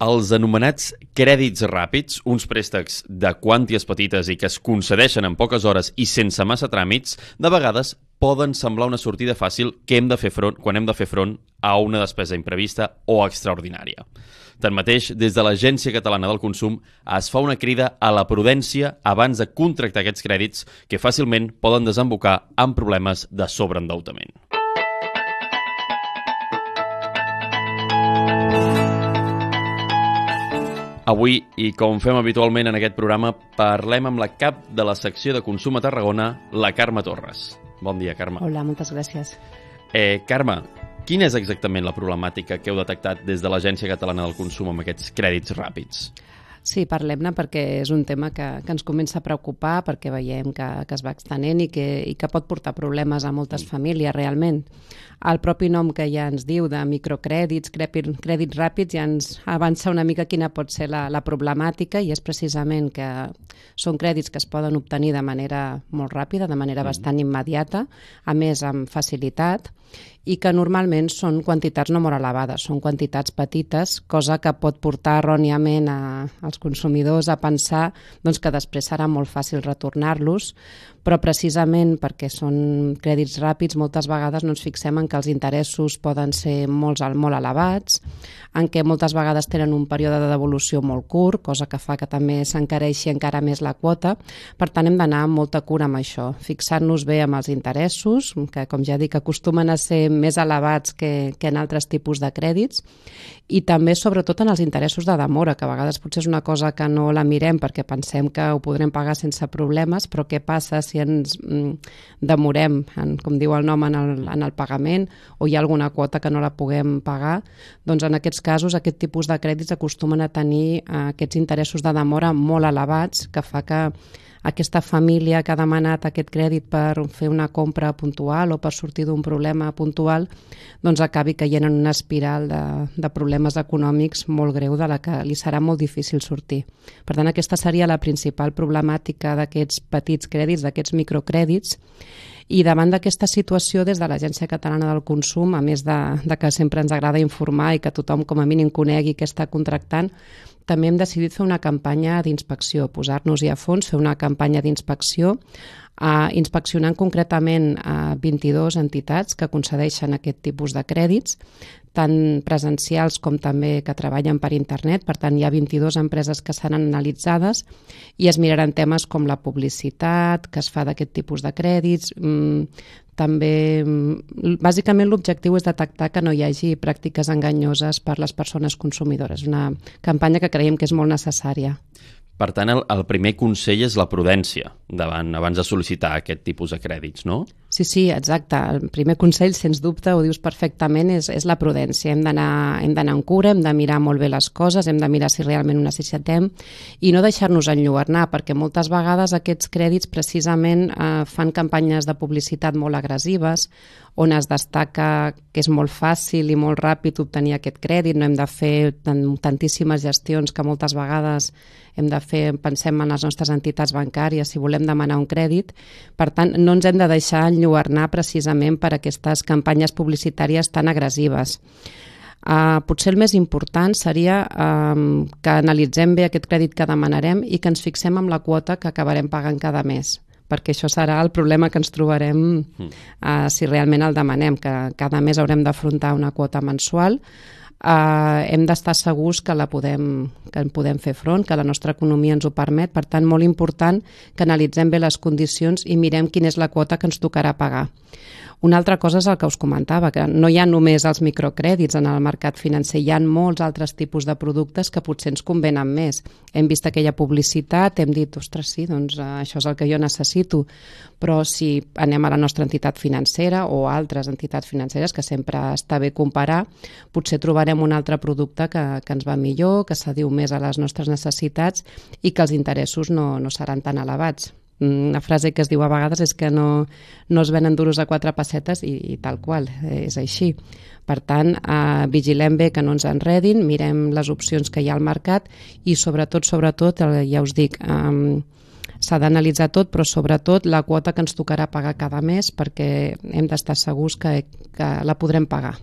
Els anomenats crèdits ràpids, uns préstecs de quanties petites i que es concedeixen en poques hores i sense massa tràmits, de vegades poden semblar una sortida fàcil quan hem de fer front a una despesa imprevista o extraordinària. Tanmateix, des de l'Agència Catalana del Consum es fa una crida a la prudència abans de contractar aquests crèdits que fàcilment poden desembocar en problemes de sobreendeutament. Avui, i com fem habitualment en aquest programa, parlem amb la cap de la secció de Consum a Tarragona, la Carme Torres. Bon dia, Carme. Hola, moltes gràcies. Carme, quina és exactament la problemàtica que heu detectat des de l'Agència Catalana del Consum amb aquests crèdits ràpids? Sí, parlem-ne perquè és un tema que ens comença a preocupar, perquè veiem que es va extenent i que pot portar problemes a moltes famílies realment. El propi nom que ja ens diu de microcrèdits, crèdits ràpids, ja ens avança una mica quina pot ser la problemàtica, i és precisament que són crèdits que es poden obtenir de manera molt ràpida, de manera bastant immediata, a més amb facilitat, i que normalment són quantitats no molt elevades, són quantitats petites, cosa que pot portar erròniament als consumidors a pensar que després serà molt fàcil retornar-los, però precisament perquè són crèdits ràpids moltes vegades no ens fixem en que els interessos poden ser molt elevats, en què moltes vegades tenen un període de devolució molt curt, cosa que fa que també s'encareixi encara més la quota. Per tant, hem d'anar amb molta cura amb això, fixant-nos bé amb els interessos, que com ja dic acostumen a ser més elevats que en altres tipus de crèdits, i també sobretot en els interessos de demora, que a vegades potser és una cosa que no la mirem perquè pensem que ho podrem pagar sense problemes, però què passa si ens demorem, com diu el nom, en el pagament, o hi ha alguna quota que no la puguem pagar? Doncs en aquests casos aquest tipus de crèdits acostumen a tenir aquests interessos de demora molt elevats, que fa que aquesta família que ha demanat aquest crèdit per fer una compra puntual o per sortir d'un problema puntual, doncs acabi caient en una espiral de problemes econòmics molt greu de la que li serà molt difícil sortir. Per tant, aquesta seria la principal problemàtica d'aquests petits crèdits, d'aquests microcrèdits. I davant d'aquesta situació, des de l'Agència Catalana del Consum, a més de que sempre ens agrada informar i que tothom com a mínim conegui què està contractant, també hem decidit fer una campanya d'inspecció, posar-nos-hi a fons, fer una campanya d'inspecció, inspeccionant concretament 22 entitats que concedeixen aquest tipus de crèdits, tant presencials com també que treballen per internet. Per tant, hi ha 22 empreses que seran analitzades i es miraran temes com la publicitat que es fa d'aquest tipus de crèdits. També, bàsicament, l'objectiu és detectar que no hi hagi pràctiques enganyoses per les persones consumidores. Una campanya que creiem que és molt necessària. Per tant, el primer consell és la prudència abans de sol·licitar aquest tipus de crèdits, no? Sí, exacte. El primer consell, sens dubte, ho dius perfectament, és la prudència. Hem d'anar amb cura, hem de mirar molt bé les coses, hem de mirar si realment ho necessitem i no deixar-nos enlluernar, perquè moltes vegades aquests crèdits precisament fan campanyes de publicitat molt agressives, on es destaca que és molt fàcil i molt ràpid obtenir aquest crèdit, no hem de fer tantíssimes gestions que moltes vegades hem de fer, pensem en les nostres entitats bancàries si volem demanar un crèdit. Per tant, no ens hem de deixar enlluernar precisament per aquestes campanyes publicitàries tan agressives. Potser el més important seria que analitzem bé aquest crèdit que demanarem i que ens fixem en la quota que acabarem pagant cada mes, perquè això serà el problema que ens trobarem si realment el demanem, que cada mes haurem d'afrontar una quota mensual. Hem d'estar segurs que en podem fer front, que la nostra economia ens ho permet. Per tant, molt important que analitzem bé les condicions i mirem quina és la quota que ens tocarà pagar. Una altra cosa és el que us comentava, que no hi ha només els microcrèdits en el mercat financer, hi ha molts altres tipus de productes que potser ens convenen més. Hem vist aquella publicitat, hem dit, ostres, sí, doncs això és el que jo necessito, però si anem a la nostra entitat financera o a altres entitats financeres, que sempre està bé comparar, potser trobarem un altre producte que ens va millor, que s'adiu més a les nostres necessitats i que els interessos no seran tan elevats. Una frase que es diu a vegades és que no es venen duros a 4 pessetes i tal qual, és així. Per tant, vigilem bé que no ens enredin, mirem les opcions que hi ha al mercat i sobretot, ja us dic, s'ha d'analitzar tot, però sobretot la quota que ens tocarà pagar cada mes perquè hem d'estar segurs que la podrem pagar.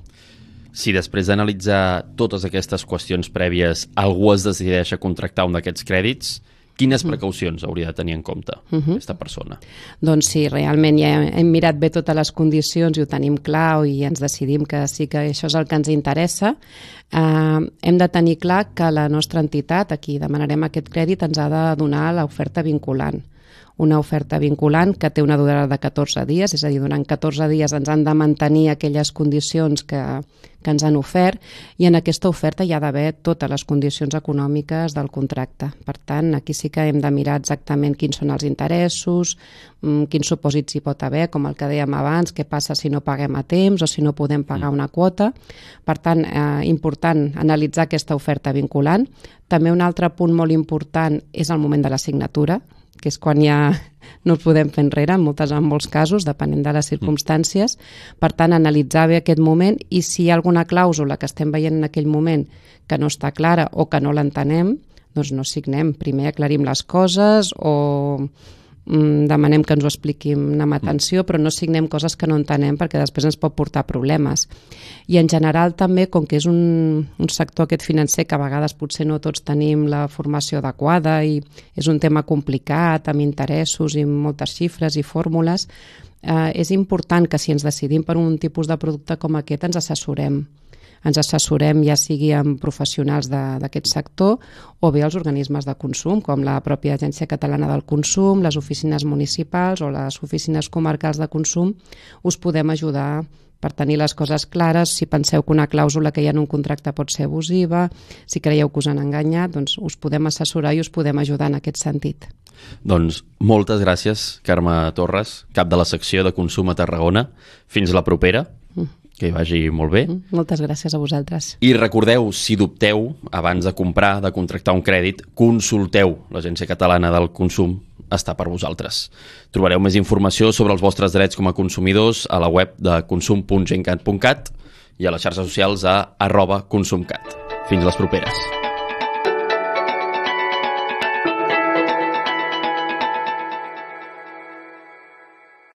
Si després d'analitzar totes aquestes qüestions prèvies algú es decideix a contractar un d'aquests crèdits, quines precaucions hauria de tenir en compte aquesta persona? Doncs sí, realment ja hem mirat bé totes les condicions i ho tenim clar i ens decidim que sí que això és el que ens interessa. Hem de tenir clar que la nostra entitat, a qui demanarem aquest crèdit, ens ha de donar l'oferta vinculant. Una oferta vinculant que té una durada de 14 dies, és a dir, durant 14 dies ens han de mantenir aquelles condicions que ens han ofert i en aquesta oferta hi ha d'haver totes les condicions econòmiques del contracte. Per tant, aquí sí que hem de mirar exactament quins són els interessos, quins supòsits hi pot haver, com el que dèiem abans, què passa si no paguem a temps o si no podem pagar una quota. Per tant, important analitzar aquesta oferta vinculant. També un altre punt molt important és el moment de la signatura, que és quan ja no ens podem fer enrere, en molts casos, depenent de les circumstàncies. Per tant, analitzar bé aquest moment i si hi ha alguna clàusula que estem veient en aquell moment que no està clara o que no l'entenem, doncs no signem. Primer aclarim les coses o demanem que ens ho expliquin amb atenció, però no signem coses que no entenem perquè després ens pot portar problemes. I en general també, com que és un sector aquest financer que a vegades potser no tots tenim la formació adequada i és un tema complicat, amb interessos i moltes xifres i fórmules, és important que si ens decidim per un tipus de producte com aquest ens assessorem. Ens assessorem ja sigui amb professionals d'aquest sector o bé els organismes de consum, com la pròpia Agència Catalana del Consum, les oficines municipals o les oficines comarcals de consum. Us podem ajudar per tenir les coses clares. Si penseu que una clàusula que hi ha en un contracte pot ser abusiva, si creieu que us han enganyat, doncs us podem assessorar i us podem ajudar en aquest sentit. Doncs moltes gràcies, Carme Torres, cap de la secció de Consum a Tarragona. Fins la propera. Que hi vagi molt bé. Moltes gràcies a vosaltres. I recordeu, si dubteu, abans de comprar, de contractar un crèdit, consulteu l'Agència Catalana del Consum, està per vosaltres. Trobareu més informació sobre els vostres drets com a consumidors a la web de consum.gencat.cat i a les xarxes socials a @consumcat. Fins les properes.